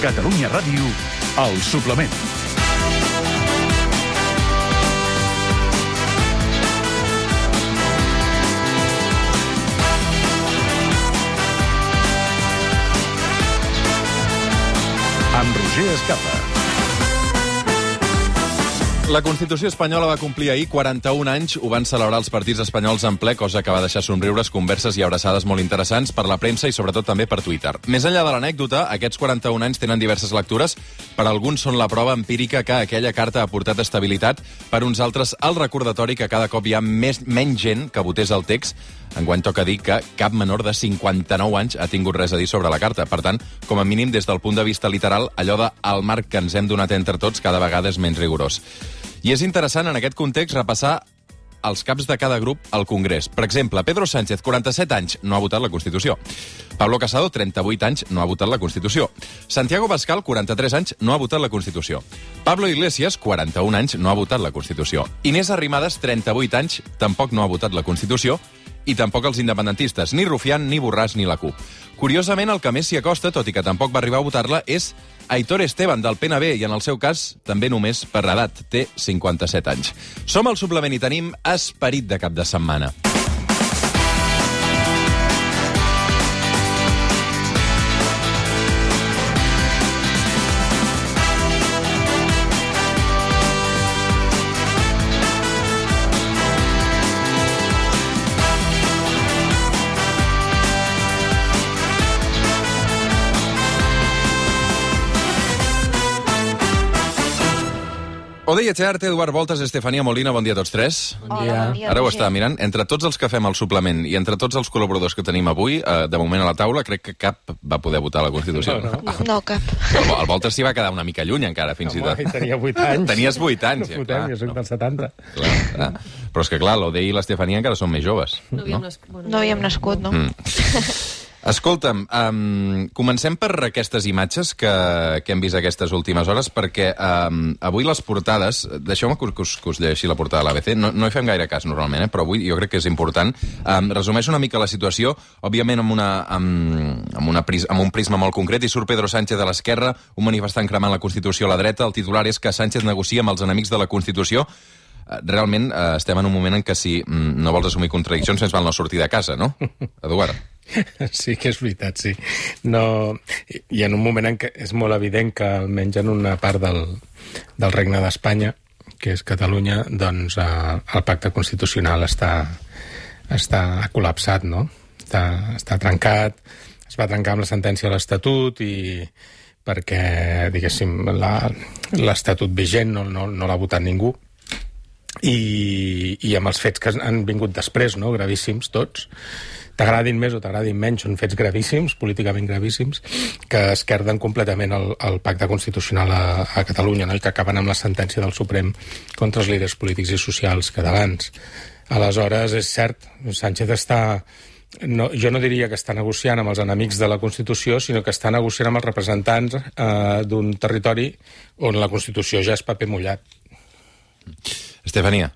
Catalunya Ràdio, El Suplement. Amb Roger Escapa. La Constitució espanyola va complir ahir 41 anys. Ho van celebrar els partits espanyols en ple, cosa que va deixar somriures, converses i abraçades molt interessants per la premsa i sobretot també per Twitter. Més enllà de l'anècdota, aquests 41 anys tenen diverses lectures. Per alguns són la prova empírica que aquella carta ha portat estabilitat. Per uns altres, el recordatori que cada cop hi ha menys gent que votés el text. Enguany toca dir que cap menor de 59 anys ha tingut res a dir sobre la carta. Per tant, com a mínim, des del punt de vista literal, allò de el marc que ens hem donat entre tots cada vegada és menys rigorós. I és interessant, en aquest context, repassar els caps de cada grup al Congrés. Per exemple, Pedro Sánchez, 47 anys, no ha votat la Constitució. Pablo Casado, 38 anys, no ha votat la Constitució. Santiago Abascal, 43 anys, no ha votat la Constitució. Pablo Iglesias, 41 anys, no ha votat la Constitució. Inés Arrimadas, 38 anys, tampoc no ha votat la Constitució. I tampoc els independentistes, ni Rufián, ni Borràs, ni la CUP. Curiosament, el que més s'hi acosta, tot i que tampoc va arribar a votar-la, és Aitor Esteban, del PNB, i en el seu cas, també només per edat, té 57 anys. Som al Suplement i tenim esperit de cap de setmana. Odeia Chearte, Eduard Voltas, Estefania Molina, bon dia a tots tres. Bon dia. Ara ho estava mirant. Entre tots els que fem al suplement i entre tots els col·laboradors que tenim avui, de moment a la taula, crec que cap va poder votar la Constitució. No, cap. El Voltas s'hi va quedar una mica lluny encara, fins i tot. Tenia 8 anys. Tenies 8 anys, ja, clar. Jo soc del 70. Clar. Però és que, clar, l'Odei i l'Estefania encara són més joves. No havíem nascut, no? Escolta'm, comencem per aquestes imatges que hem vist aquestes últimes hores, perquè avui les portades... Deixeu-me que us llegeixi la portada de l'ABC. No hi fem gaire cas, normalment, però avui jo crec que és important. Resumeix una mica la situació, òbviament amb un prisma molt concret, i surt Pedro Sánchez de l'esquerra, un manifestant cremant la Constitució a la dreta. El titular és que Sánchez negocia amb els enemics de la Constitució. Realment estem en un moment en què si no vols assumir contradiccions més val no sortir de casa, no? Eduard? Sí que és veritat, sí. No, i en un moment en què és molt evident que almenys en una part del Regne d'Espanya, que és Catalunya, doncs el pacte constitucional està col·lapsat, no? Està trencat, es va trencar amb la sentència de l'Estatut i perquè, diguéssim, l'Estatut vigent no l'ha votat ningú. I amb els fets que han vingut després, no? Gravíssims tots, t'agradin més o t'agradin menys, són fets gravíssims, políticament gravíssims, que esquerden completament el pacte constitucional a Catalunya, no? I que acaben amb la sentència del Suprem contra els líders polítics i socials catalans. Aleshores, és cert, Sánchez està... No, jo no diria que està negociant amb els enemics de la Constitució, sinó que està negociant amb els representants d'un territori on la Constitució ja és paper mullat. Estefania.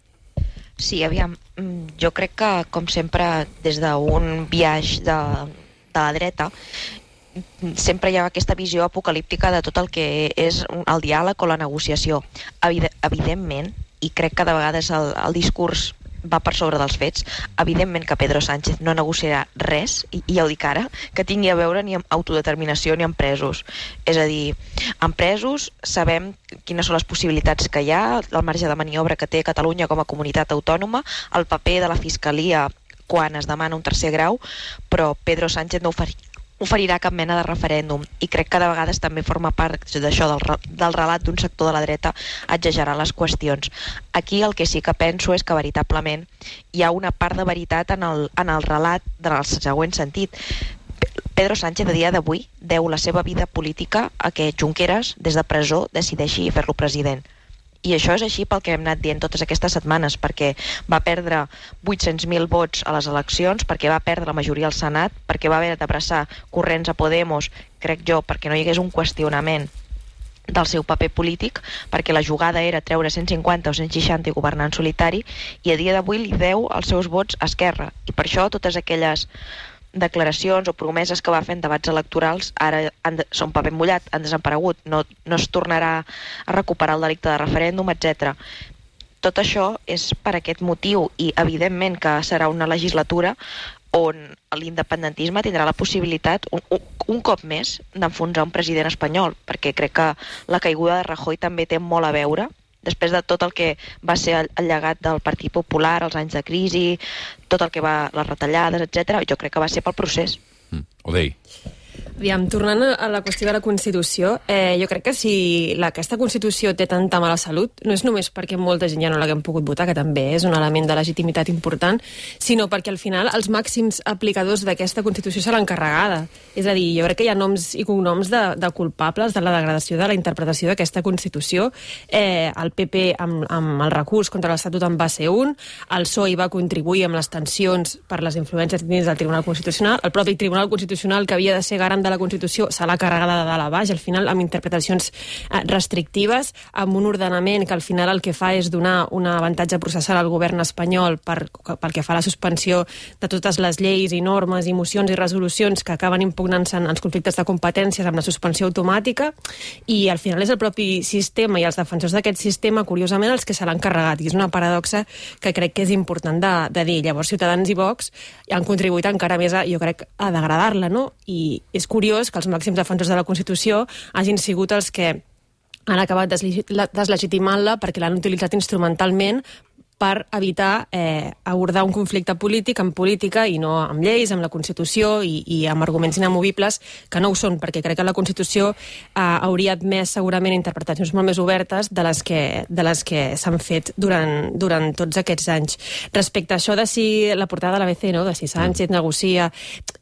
Sí, aviam, jo crec que, com sempre, des d'un biaix de la dreta, sempre hi ha aquesta visió apocalíptica de tot el que és el diàleg o la negociació. Evidentment, i crec que de vegades el discurs va per sobre dels fets, evidentment que Pedro Sánchez no negociarà res, i ja ho dic ara, que tingui a veure ni amb autodeterminació ni amb presos. És a dir, amb presos sabem quines són les possibilitats que hi ha, el marge de maniobra que té Catalunya com a comunitat autònoma, el paper de la Fiscalia quan es demana un tercer grau, però Pedro Sánchez no oferirà cap mena de referèndum, i crec que de vegades també forma part d'això del relat d'un sector de la dreta exagerar les qüestions. Aquí el que sí que penso és que veritablement hi ha una part de veritat en el relat en el següent sentit. Pedro Sánchez a dia d'avui deu la seva vida política a que Junqueras des de presó decideixi fer-lo president. I això és així pel que hem anat dient totes aquestes setmanes, perquè va perdre 800.000 vots a les eleccions, perquè va perdre la majoria al Senat, perquè va haver d'abraçar corrents a Podemos, crec jo, perquè no hi hagués un qüestionament del seu paper polític, perquè la jugada era treure 150 o 160 i governar en solitari, i a dia d'avui li deu els seus vots a Esquerra. I per això totes aquelles declaracions o promeses que va fer en debats electorals ara són paper mullat, han desaparegut, no es tornarà a recuperar el delicte de referèndum, etc. Tot això és per aquest motiu i evidentment que serà una legislatura on l'independentisme tindrà la possibilitat un cop més d'enfonsar un president espanyol, perquè crec que la caiguda de Rajoy també té molt a veure després de tot el que va ser el llegat del Partit Popular, els anys de crisi, tot el que va, les retallades, etc. Jo crec que va ser pel procés. Odei. Aviam, tornant a la qüestió de la Constitució, jo crec que si aquesta Constitució té tanta mala salut, no és només perquè molta gent ja no l'haguem pogut votar, que també és un element de legitimitat important, sinó perquè al final els màxims aplicadors d'aquesta Constitució se l'han carregada. És a dir, jo crec que hi ha noms i cognoms de culpables de la degradació de la interpretació d'aquesta Constitució. El PP amb el recurs contra l'Estatut en va ser un, el PSOE va contribuir amb les tensions per les influències dins del Tribunal Constitucional, el propi Tribunal Constitucional, que havia de ser garant de la Constitució, se l'ha carregada de dalt a baix, al final amb interpretacions restrictives, amb un ordenament que al final el que fa és donar un avantatge processal al govern espanyol pel que fa a la suspensió de totes les lleis i normes i mocions i resolucions que acaben impugnant-se en els conflictes de competències amb la suspensió automàtica, i al final és el propi sistema i els defensors d'aquest sistema, curiosament, els que se l'han carregat, i és una paradoxa que crec que és important de dir. Llavors, Ciutadans i Vox han contribuït encara més, jo crec, a degradar-la, no? I és curiós que els màxims defensors de la Constitució hagin sigut els que han acabat deslegitimant-la perquè l'han utilitzat instrumentalment per evitar abordar un conflicte polític amb política i no amb lleis, amb la Constitució i amb arguments inamovibles, que no ho són, perquè crec que la Constitució hauria admès segurament interpretacions molt més obertes de les que s'han fet durant tots aquests anys. Respecte a això de si la portada de l'ABC, no? De si Sánchez negocia,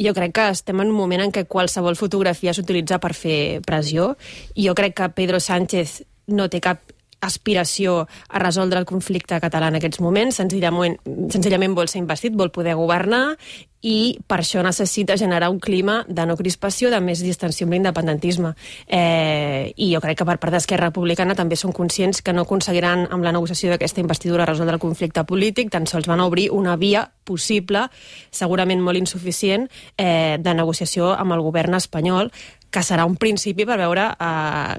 jo crec que estem en un moment en què qualsevol fotografia s'utilitza per fer pressió. Jo crec que Pedro Sánchez no té cap aspiració a resoldre el conflicte català en aquests moments, senzillament vol ser investit, vol poder governar, i per això necessita generar un clima de no crispació, de més distensió amb l'independentisme. I jo crec que per part d'Esquerra Republicana també són conscients que no aconseguiran amb la negociació d'aquesta investidura resoldre el conflicte polític, tan sols van obrir una via possible, segurament molt insuficient, de negociació amb el govern espanyol, que serà un principi per veure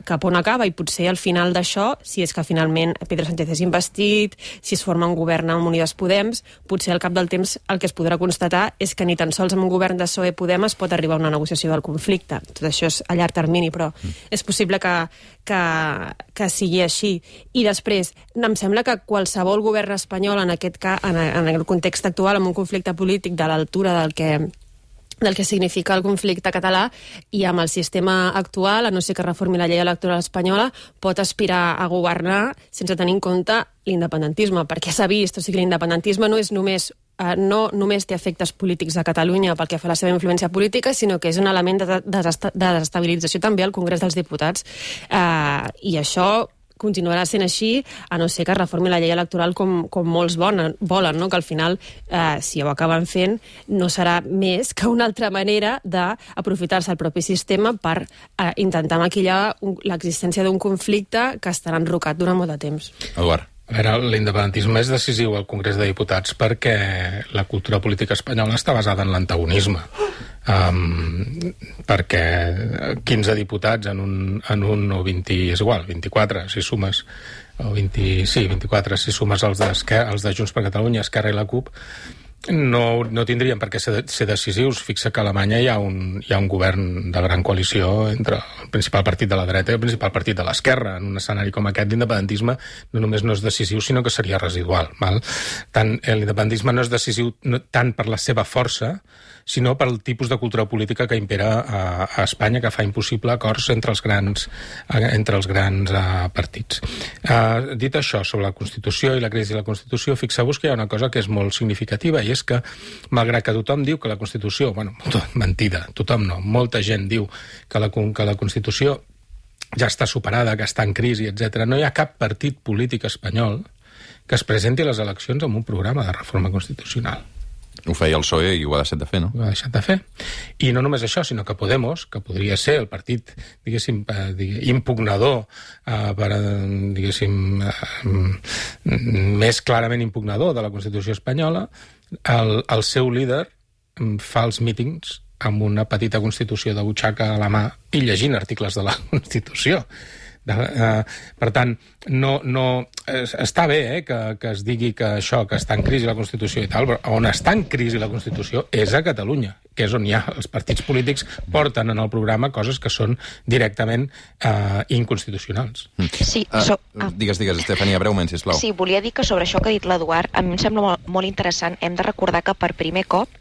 cap on acaba, i potser al final d'això, si és que finalment Pedro Sánchez és investit, si es forma un govern amb Unides Podem, potser al cap del temps el que es podrà constatar és que ni tan sols amb un govern de PSOE-Podem es pot arribar a una negociació del conflicte. Tot això és a llarg termini, però és possible que sigui així. I després, em sembla que qualsevol govern espanyol, en aquest cas, en el context actual, amb un conflicte polític de l'altura del que significa el conflicte català, i amb el sistema actual, a no ser que reformi la llei electoral espanyola, pot aspirar a governar sense tenir en compte l'independentisme, perquè s'ha vist, o sigui, l'independentisme no només té efectes polítics a Catalunya pel que fa a la seva influència política, sinó que és un element de desestabilització també al Congrés dels Diputats. I això continuarà sent així, a no ser que reformi la llei electoral com molts volen, no? Que al final, si ho acaben fent, no serà més que una altra manera d'aprofitar-se el propi sistema per intentar maquillar l'existència d'un conflicte que estarà enrocat durant molt de temps. Eduard. A veure, l'independentisme és decisiu al Congrés de Diputats perquè la cultura política espanyola està basada en l'antagonisme. Perquè 15 diputats en un o 20, és igual, 24, si sumes, o 24, si sumes els de Junts per Catalunya, Esquerra i la CUP, no tindrien per què ser decisius. Fixa que a Alemanya hi ha un govern de gran coalició entre el principal partit de la dreta i el principal partit de l'esquerra. En un escenari com aquest, l'independentisme no només no és decisiu, sinó que seria residual. L'independentisme no és decisiu tant per la seva força, sinó pel tipus de cultura política que impera a Espanya, que fa impossible acords entre els grans partits. Dit això, sobre la Constitució i la crisi de la Constitució, fixeu-vos que hi ha una cosa que és molt significativa, i és que, malgrat que tothom diu que la Constitució, mentida, tothom no, molta gent diu que la Constitució ja està superada, que està en crisi, etc., no hi ha cap partit polític espanyol que es presenti a les eleccions amb un programa de reforma constitucional. Ho feia el PSOE i ho ha deixat de fer, no? Ho ha deixat de fer. I no només això, sinó que Podemos, que podria ser el partit, diguéssim, impugnador, més clarament impugnador de la Constitució espanyola, el seu líder fa els mítings amb una petita Constitució de butxaca a la mà i llegint articles de la Constitució. Per tant, està bé que es digui que això, que està en crisi la Constitució i tal, però on està en crisi la Constitució és a Catalunya, que és on hi ha els partits polítics porten en el programa coses que són directament inconstitucionals. Sí, Digues, Estefania, breument, sisplau. Sí, volia dir que sobre això que ha dit l'Eduard, a mi em sembla molt, molt interessant. Hem de recordar que per primer cop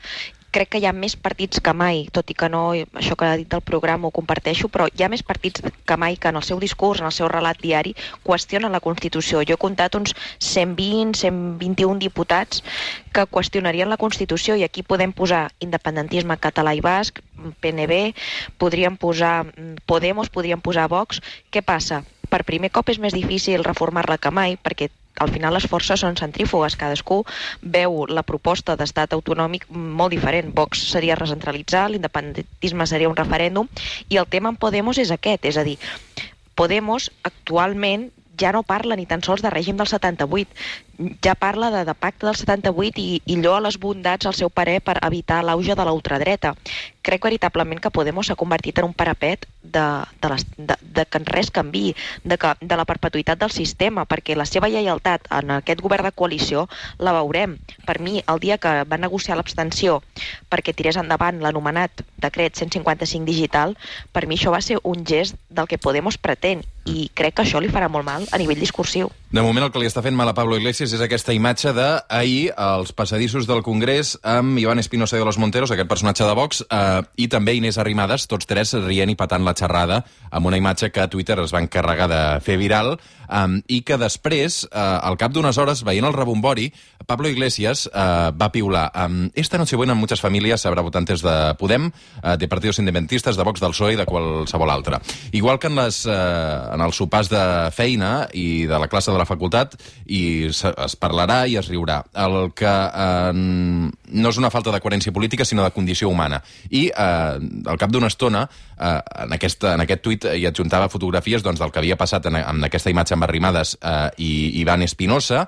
crec que hi ha més partits que mai, tot i que no, això que ha dit del programa ho comparteixo, però hi ha més partits que mai que en el seu discurs, en el seu relat diari, qüestionen la Constitució. Jo he comptat uns 120, 121 diputats que qüestionarien la Constitució, i aquí podem posar independentisme català i basc, PNB, podríem posar Podemos, podríem posar Vox. Què passa? Per primer cop és més difícil reformar-la que mai, perquè al final les forces són centrífugues, cadascú veu la proposta d'estat autonòmic molt diferent. Vox seria recentralitzar, l'independentisme seria un referèndum, i el tema en Podemos és aquest, és a dir, Podemos actualment ja no parla ni tan sols de règim del 78, ja parla de pacte del 78 i lloa les bondats al seu parer per evitar l'auge de la ultradreta. Crec veritablement que Podemos s'ha convertit en un parapet de que res canviï, de la perpetuïtat del sistema, perquè la seva lleialtat en aquest govern de coalició la veurem. Per mi, el dia que va negociar l'abstenció perquè tirés endavant l'anomenat decret 155 digital, per mi això va ser un gest del que Podemos pretén, i crec que això li farà molt mal a nivell discursiu. De moment el que li està fent mal a Pablo Iglesias és aquesta imatge d'ahir als passadissos del Congrés amb Iván Espinosa de los Monteros, aquest personatge de Vox, i també Inés Arrimadas, tots tres rient i patant la xerrada, amb una imatge que a Twitter es va encarregar de fer viral, i que després, al cap d'unes hores, veient el rebombori, Pablo Iglesias va piular: esta Nochebuena en muchas familias se habrá votantes de Podem, de partidos independentistas, de Vox, del PSOE i de qualsevol altre. Igual que en els sopars de feina i de la classe de la facultat, i es parlarà i es riurà. El que no és una falta de coherència política, sinó de condició humana. I al cap d'una estona, en aquest tuit hi adjuntava fotografies del que havia passat amb aquesta imatge amb Arrimadas i Iván Espinosa,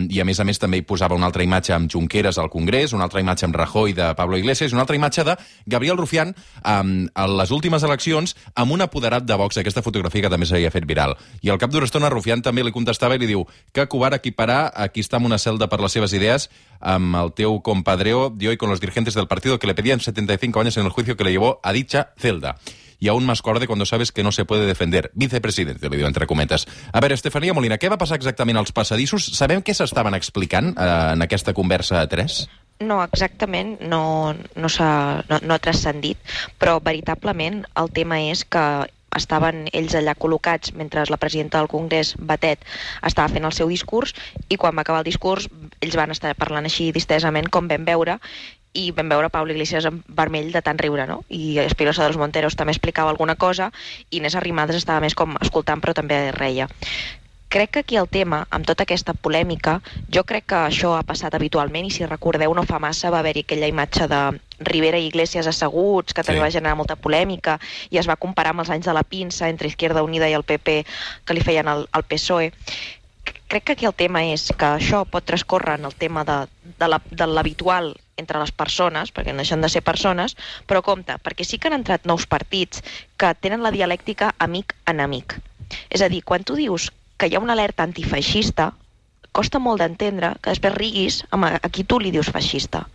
i a més també hi posava una altra imatge amb Junqueras al Congrés, una altra imatge amb Rajoy de Pablo Iglesias, i una altra imatge de Gabriel Rufián a les últimes eleccions amb un apoderat de Vox, aquesta fotografia que també s'havia fet viral. I al cap d'una estona Rufián també li contestava i li diu: que covard equiparar aquí està en una celda per les seves idees amb el teu compadreo de hoy con los dirigentes del partido que le pedían 75 años en el juicio que le llevó a dicha celda. Y aún más cobarde cuando sabes que no se puede defender. Vicepresidente, li diu entre cometes. A veure, Estefania Molina, què va passar exactament als passadissos? Sabem què s'estaven explicant en aquesta conversa a tres? No, exactament, no ha transcendit, però veritablement el tema és que estaven ells allà col·locats mentre la presidenta del Congrés, Batet, estava fent el seu discurs, i quan va acabar el discurs ells van estar parlant així distesament, com vam veure, i vam veure Pablo Iglesias en vermell de tant riure, no? I Espinosa de los Monteros també explicava alguna cosa, i Inés Arrimadas estava més com escoltant, però també reia. Crec que aquí el tema, amb tota aquesta polèmica, jo crec que això ha passat habitualment, i si recordeu no fa massa va haver-hi aquella imatge de Rivera i Iglesias asseguts, que també va generar molta polèmica, i es va comparar amb els anys de la pinça entre Izquierda Unida i el PP que li feien al PSOE. Crec que aquí el tema és que això pot transcórrer en el tema de l'habitual entre les persones, perquè no deixen de ser persones, però compte, perquè sí que han entrat nous partits que tenen la dialèctica amic-enemic. És a dir, quan tu dius que hi ha una alerta antifeixista, costa molt d'entendre que després riguis a qui tu li dius feixista.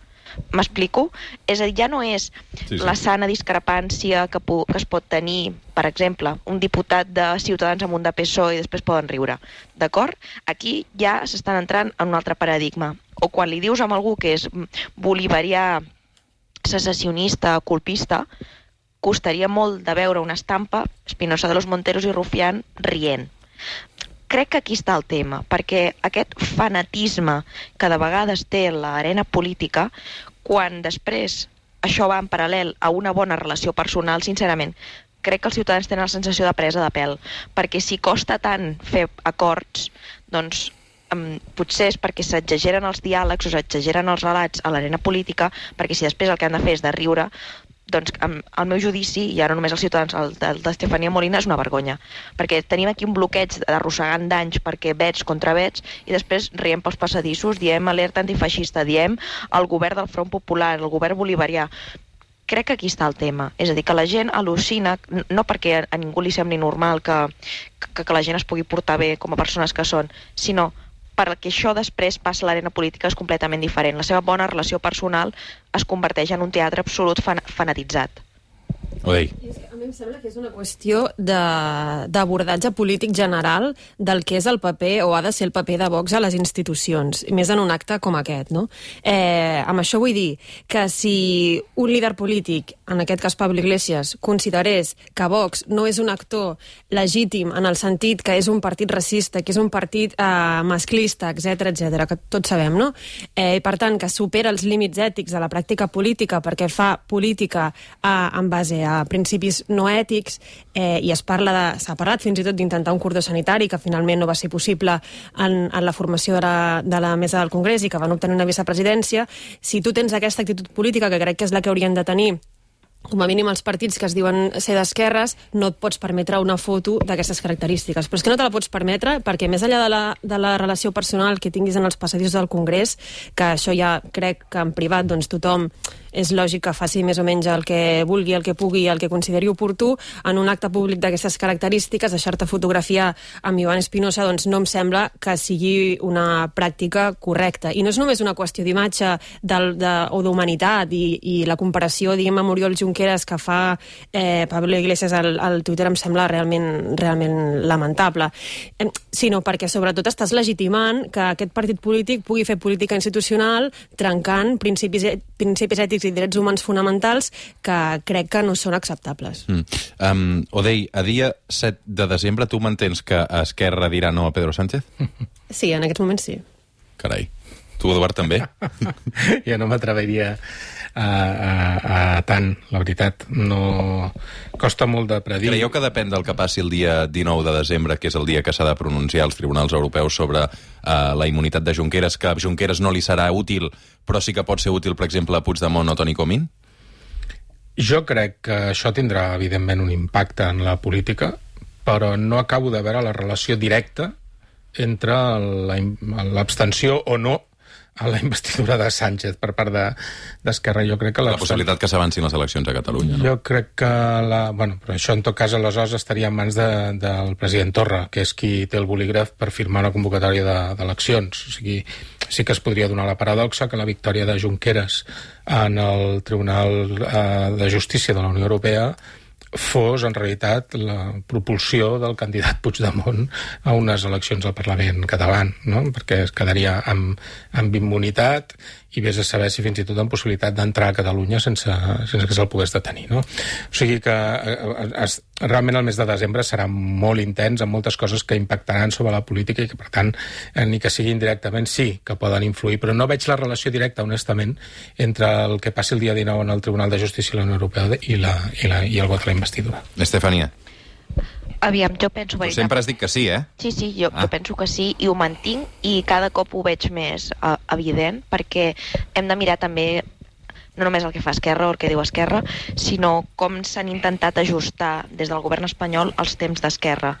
M'explico? És a dir, ja no és la sana discrepància que es pot tenir, per exemple, un diputat de Ciutadans amb un de PSOE i després poden riure. D'acord? Aquí ja s'estan entrant en un altre paradigma. O quan li dius a algú que és bolivarià, secessionista, colpista, costaria molt de veure una estampa Espinosa de los Monteros i Rufián rient. Crec que aquí està el tema, perquè aquest fanatisme que de vegades té l'arena política, quan després això va en paral·lel a una bona relació personal, sincerament, crec que els ciutadans tenen la sensació de presa de pèl, perquè si costa tant fer acords, doncs potser és perquè s'exageren els diàlegs o s'exageren els relats a l'arena política, perquè si després el que han de fer és de riure, doncs el meu judici, i ara només els ciutadans, el d'Estefania Molina, és una vergonya. Perquè tenim aquí un bloqueig arrossegant d'anys perquè vets contra vets, i després riem pels passadissos, diem alerta antifeixista, diem el govern del Front Popular, el govern bolivarià. Crec que aquí està el tema. És a dir, que la gent al·lucina, no perquè a ningú li sembli normal que la gent es pugui portar bé com a persones que són, sinó perquè això després passa a l'arena política és completament diferent. La seva bona relació personal es converteix en un teatre absolut fanatitzat. Odei. A mi em sembla que és una qüestió d'abordatge polític general del que és el paper, o ha de ser el paper de Vox a les institucions, més en un acte com aquest, no? Amb això vull dir que si un líder polític, en aquest cas Pablo Iglesias, considerés que Vox no és un actor legítim en el sentit que és un partit racista, que és un partit masclista, etc, que tots sabem, no? I per tant, que supera els límits ètics de la pràctica política perquè fa política en base a principis no ètics, i s'ha parlat fins i tot d'intentar un cordó sanitari que finalment no va ser possible en la formació de la mesa del Congrés i que van obtenir una vicepresidència. Si tu tens aquesta actitud política, que crec que és la que haurien de tenir com a mínim els partits que es diuen ser d'esquerres, no et pots permetre una foto d'aquestes característiques. Però és que no te la pots permetre perquè més enllà de la relació personal que tinguis en els passadissos del Congrés, que això ja crec que en privat doncs tothom és lògic que faci més o menys el que vulgui, el que pugui, el que consideri oportú, en un acte públic d'aquestes característiques, deixar-te fotografiar amb Iván Espinosa, doncs no em sembla que sigui una pràctica correcta. I no és només una qüestió d'imatge o d'humanitat i la comparació, diguem, amb Oriol Junqueras que fa Pablo Iglesias al Twitter em sembla realment lamentable, sinó perquè sobretot estàs legitimant que aquest partit polític pugui fer política institucional trencant principis ètics i drets humans fonamentals que crec que no són acceptables. Odei, a dia 7 de desembre tu mantens que Esquerra dirà no a Pedro Sánchez? Sí, en aquests moments sí. Carai. Tu, Eduard, també? Jo no m'atreviria a tant, la veritat. No costa molt de predir. Creieu que depèn del que passi el dia 19 de desembre, que és el dia que s'ha de pronunciar als tribunals europeus sobre la immunitat de Junqueras, que a Junqueras no li serà útil, però sí que pot ser útil, per exemple, a Puigdemont o Toni Comín? Jo crec que això tindrà, evidentment, un impacte en la política, però no acabo de veure la relació directa entre l'abstenció o no a la investidura de Sánchez per part d'Esquerra. Jo crec que la possibilitat que s'avancin les eleccions a Catalunya, no? Jo crec que però això en tot cas aleshores estaria en mans del president Torra, que és qui té el bolígraf per firmar una convocatòria d'eleccions. O sigui, sí que es podria donar la paradoxa que la victòria de Junqueras en el Tribunal de Justícia de la Unió Europea fos, en realitat, la propulsió del candidat Puigdemont a unes eleccions al Parlament català, no? Perquè es quedaria amb immunitat i vés a saber si fins i tot amb possibilitat d'entrar a Catalunya sense que se'l pogués detenir, no? O sigui que realment el mes de desembre serà molt intens, amb moltes coses que impactaran sobre la política i que, per tant, ni que sigui indirectament, sí que poden influir, però no veig la relació directa, honestament, entre el que passi el dia 19 en el Tribunal de Justícia de la Unió Europea i el vot a la investidura. Estefania. Aviam, jo penso... Tu sempre has dit que sí, eh? Sí, jo penso que sí, i ho mantinc, i cada cop ho veig més evident, perquè hem de mirar també no només el que fa Esquerra o el que diu Esquerra, sinó com s'han intentat ajustar des del govern espanyol els temps d'Esquerra.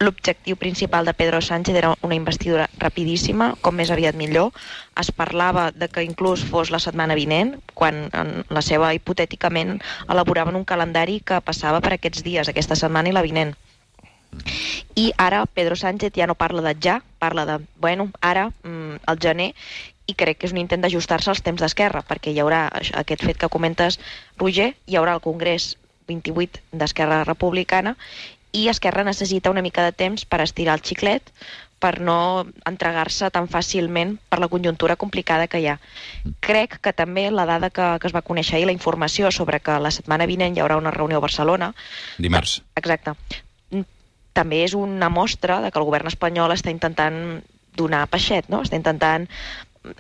L'objectiu principal de Pedro Sánchez era una investidura rapidíssima, com més aviat millor. Es parlava de que inclús fos la setmana vinent, quan en la seva, hipotèticament, elaboraven un calendari que passava per aquests dies, aquesta setmana i la vinent. I ara Pedro Sánchez ja no parla de ja, parla de, ara, al gener, i crec que és un intent d'ajustar-se als temps d'Esquerra, perquè hi haurà aquest fet que comentes, Roger, hi haurà el Congrés 28 d'Esquerra Republicana, i Esquerra necessita una mica de temps per estirar el xiclet, per no entregar-se tan fàcilment per la conjuntura complicada que hi ha. Crec que també la dada que es va conèixer ahir, la informació sobre que la setmana vinent hi haurà una reunió a Barcelona... Dimarts. Exacte. També és una mostra de que el govern espanyol està intentant donar peixet, no? Està intentant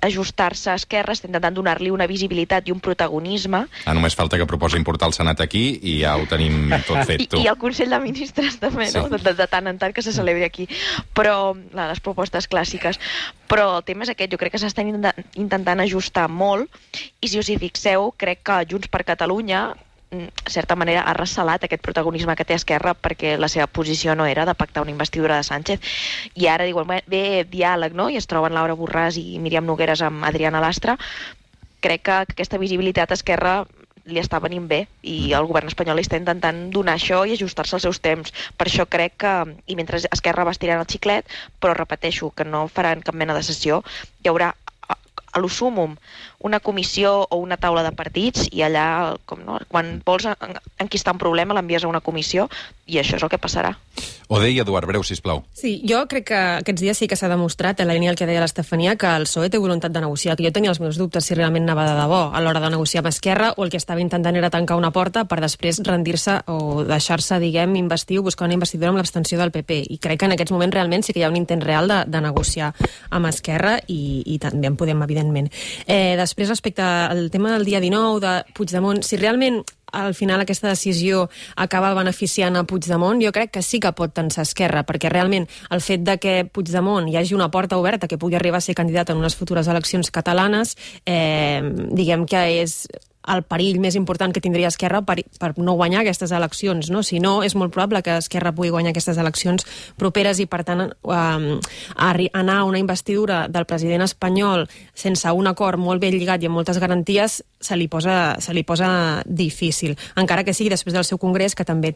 ajustar-se a Esquerra, està intentant donar-li una visibilitat i un protagonisme. Només falta que proposi portar el Senat aquí i ja ho tenim tot fet, tu. I el Consell de Ministres també, sí. No? De tant en tant que se celebri aquí. Però les propostes clàssiques. Però el tema és aquest, jo crec que s'estan intentant ajustar molt, i si us hi fixeu, crec que Junts per Catalunya certa manera, ha recelat aquest protagonisme que té Esquerra perquè la seva posició no era de pactar una investidura de Sánchez. I ara diuen, bé, diàleg, no? I es troben Laura Borràs i Míriam Nogueras amb Adriana Lastra. Crec que aquesta visibilitat a Esquerra li està venint bé i el govern espanyol està intentant donar això i ajustar-se als seus temps. Per això crec que, i mentre Esquerra va estirant el xiclet, però repeteixo que no faran cap mena de sessió, hi haurà a lo súmum una comissió o una taula de partits i allà, quan vols enquistar un problema l'envies a una comissió i això és el que passarà. Odei, Eduard, breu, sisplau. Sí, jo crec que aquests dies sí que s'ha demostrat, en la línia del que deia l'Estefania, que el PSOE té voluntat de negociar, que jo tenia els meus dubtes si realment anava de debò a l'hora de negociar amb Esquerra o el que estava intentant era tancar una porta per després rendir-se o deixar-se, investir o buscar una investidura amb l'abstenció del PP. I crec que en aquests moments realment sí que hi ha un intent real de negociar amb Esquerra i també en Podem, evidentment. Després, respecte al tema del dia 19 de Puigdemont, si realment al final aquesta decisió acaba beneficiant a Puigdemont, jo crec que sí que pot tensar Esquerra, perquè realment el fet de que Puigdemont hi hagi una porta oberta que pugui arribar a ser candidat en unes futures eleccions catalanes, diguem que és el perill més important que tindria Esquerra per no guanyar aquestes eleccions, no? Si no, és molt probable que Esquerra pugui guanyar aquestes eleccions properes i, per tant, anar a una investidura del president espanyol sense un acord molt ben lligat i amb moltes garanties se li posa difícil, encara que sigui després del seu congrés, que també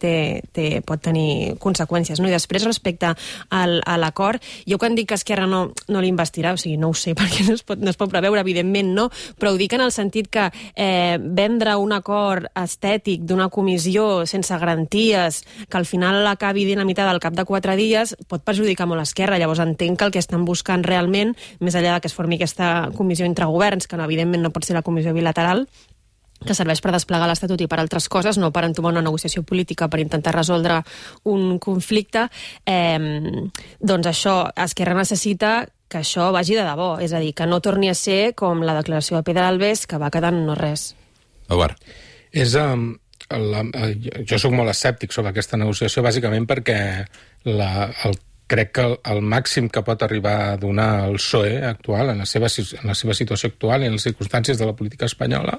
pot tenir conseqüències, no? I després, respecte a l'acord, jo quan dic que Esquerra no l'investirà, o sigui, no ho sé, perquè no es pot preveure, evidentment no, però ho dic en el sentit que vendre un acord estètic d'una comissió sense garanties que al final l'acabi dinamitada al cap de 4 dies pot perjudicar molt Esquerra. Llavors entenc que el que estan buscant realment, més enllà de que es formi aquesta comissió entre governs, que evidentment no pot ser la comissió bilateral, que serveix per desplegar l'Estatut i per altres coses, no per entomar una negociació política per intentar resoldre un conflicte, doncs això, Esquerra necessita que això vagi de debò, és a dir, que no torni a ser com la declaració de Pedralbes, que va quedar en no res. Eduard. Jo sóc molt escèptic sobre aquesta negociació, bàsicament perquè crec que el màxim que pot arribar a donar el PSOE actual, en la seva situació actual i en les circumstàncies de la política espanyola,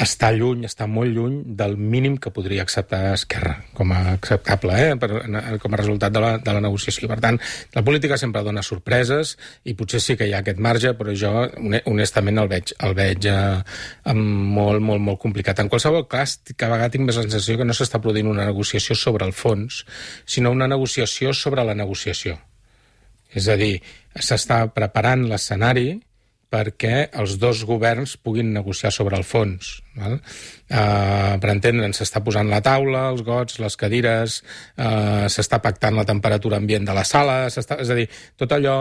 està molt lluny del mínim que podria acceptar Esquerra com a acceptable, com a resultat de la negociació. Per tant, la política sempre dona sorpreses i potser sí que hi ha aquest marge, però jo honestament el veig molt, molt, molt complicat. En qualsevol cas, cada vegada tinc més la sensació que no s'està produint una negociació sobre el fons, sinó una negociació sobre la negociació. És a dir, s'està preparant l'escenari perquè els dos governs puguin negociar sobre el fons. Val? Per entendre'n, s'està posant la taula, els gots, les cadires, s'està pactant la temperatura ambient de la sala, és a dir, tot allò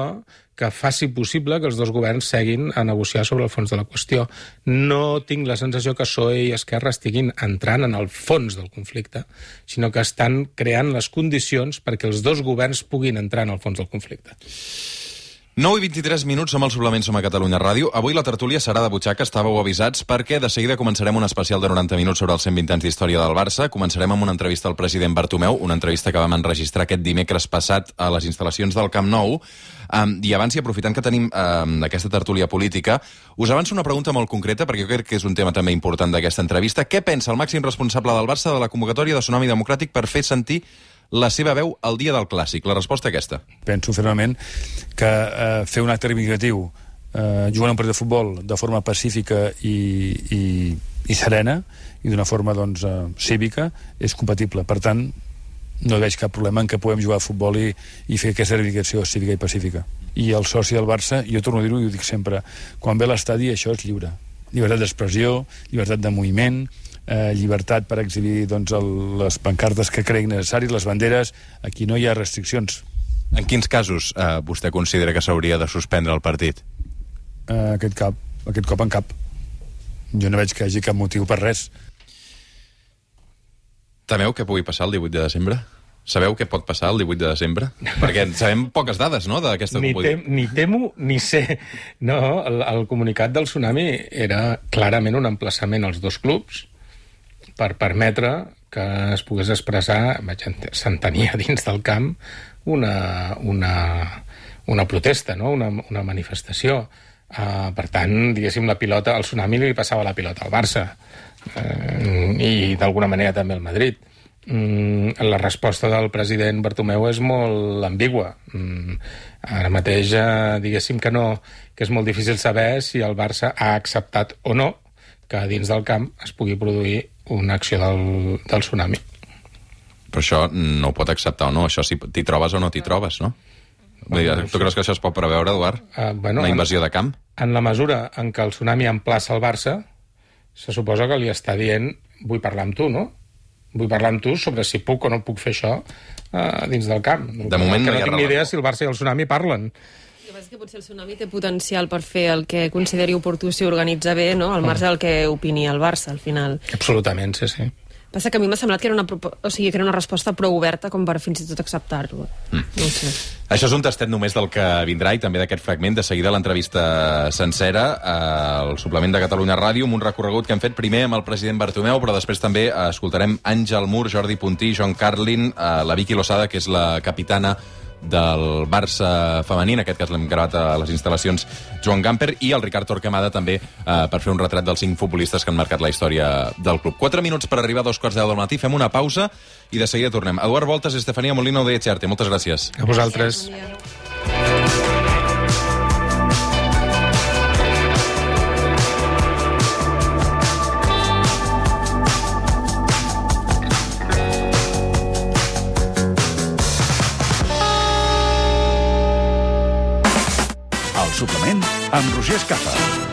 que faci possible que els dos governs seguin a negociar sobre el fons de la qüestió. No tinc la sensació que PSOE i Esquerra estiguin entrant en el fons del conflicte, sinó que estan creant les condicions perquè els dos governs puguin entrar en el fons del conflicte. 9:23 minuts, som al Suplement, som a Catalunya Ràdio. Avui la tertúlia serà de butxaca, estàveu avisats, perquè de seguida començarem un especial de 90 minuts sobre els 120 anys d'història del Barça. Començarem amb una entrevista al president Bartomeu, una entrevista que vam enregistrar aquest dimecres passat a les instal·lacions del Camp Nou. I abans, i aprofitant que tenim aquesta tertúlia política, us avanço una pregunta molt concreta, perquè jo crec que és un tema també important d'aquesta entrevista. Què pensa el màxim responsable del Barça de la convocatòria de Tsunami Democràtic per fer sentir la seva veu el dia del Clàssic? La resposta aquesta. Penso fermament que fer un acte reivindicatiu jugant un partit de futbol de forma pacífica i serena i d'una forma cívica és compatible. Per tant, no veig cap problema en què puguem jugar a futbol i fer aquesta reivindicació cívica i pacífica. I el soci del Barça, jo torno a dir-ho i ho dic sempre, quan ve a l'estadi això és lliure. Llibertat d'expressió, llibertat de moviment, llibertat per exhibir les pancartes que creguin necessaris, les banderes. Aquí no hi ha restriccions. En quins casos vostè considera que s'hauria de suspendre el partit? Aquest cop en cap. Jo no veig que hi hagi cap motiu per res. Temeu què pugui passar el 18 de desembre? Sabeu què pot passar el 18 de desembre? Perquè sabem poques dades, no?, d'aquesta competició. Ni temo ni sé. No, el comunicat del Tsunami era clarament un emplaçament als dos clubs per permetre que es pogués expressar, s'entenia dins del camp, una protesta, no?, una manifestació. Per tant, diguéssim, la pilota, al Tsunami li passava la pilota al Barça. i d'alguna manera també el Madrid. La resposta del president Bartomeu és molt ambigua. Ara mateix, diguéssim que és molt difícil saber si el Barça ha acceptat o no que dins del camp es pugui produir una acció del tsunami. Però això no ho pot acceptar o no, això si t'hi trobes o no t'hi trobes, no? Tu creus que això es pot preveure, Eduard? Una invasió de camp? En la mesura en què el tsunami emplaça el Barça, se suposa que li està dient vull parlar amb tu, no? Vull parlar amb tu sobre si puc o no puc fer això dins del camp. De moment no hi ha tinc ni idea si el Barça i el tsunami parlen. El que passa és que potser el tsunami té potencial per fer el que consideri oportú si organitza bé, no? Al marge del que opini el Barça, al final. Absolutament, sí. Passa que a mi m'ha semblat que era una resposta prou oberta com per fins i tot acceptar-lo. No ho sé. Això és un tastet només del que vindrà i també d'aquest fragment. De seguida l'entrevista sencera al suplement de Catalunya Ràdio, amb un recorregut que hem fet primer amb el president Bartomeu, però després també escoltarem Àngel Mur, Jordi Puntí, John Carlin, la Vicky Losada, que és la capitana del Barça femení, en aquest cas l'hem gravat a les instal·lacions Joan Gamper, i el Ricard Torquemada també per fer un retrat dels 5 futbolistes que han marcat la història del club. 4 minuts per arribar a 2:15 del matí, fem una pausa i de seguida tornem. Eduard Voltas i Estefania Molino de Echarte, moltes gràcies. A vosaltres. Suplement amb Roger Escapa.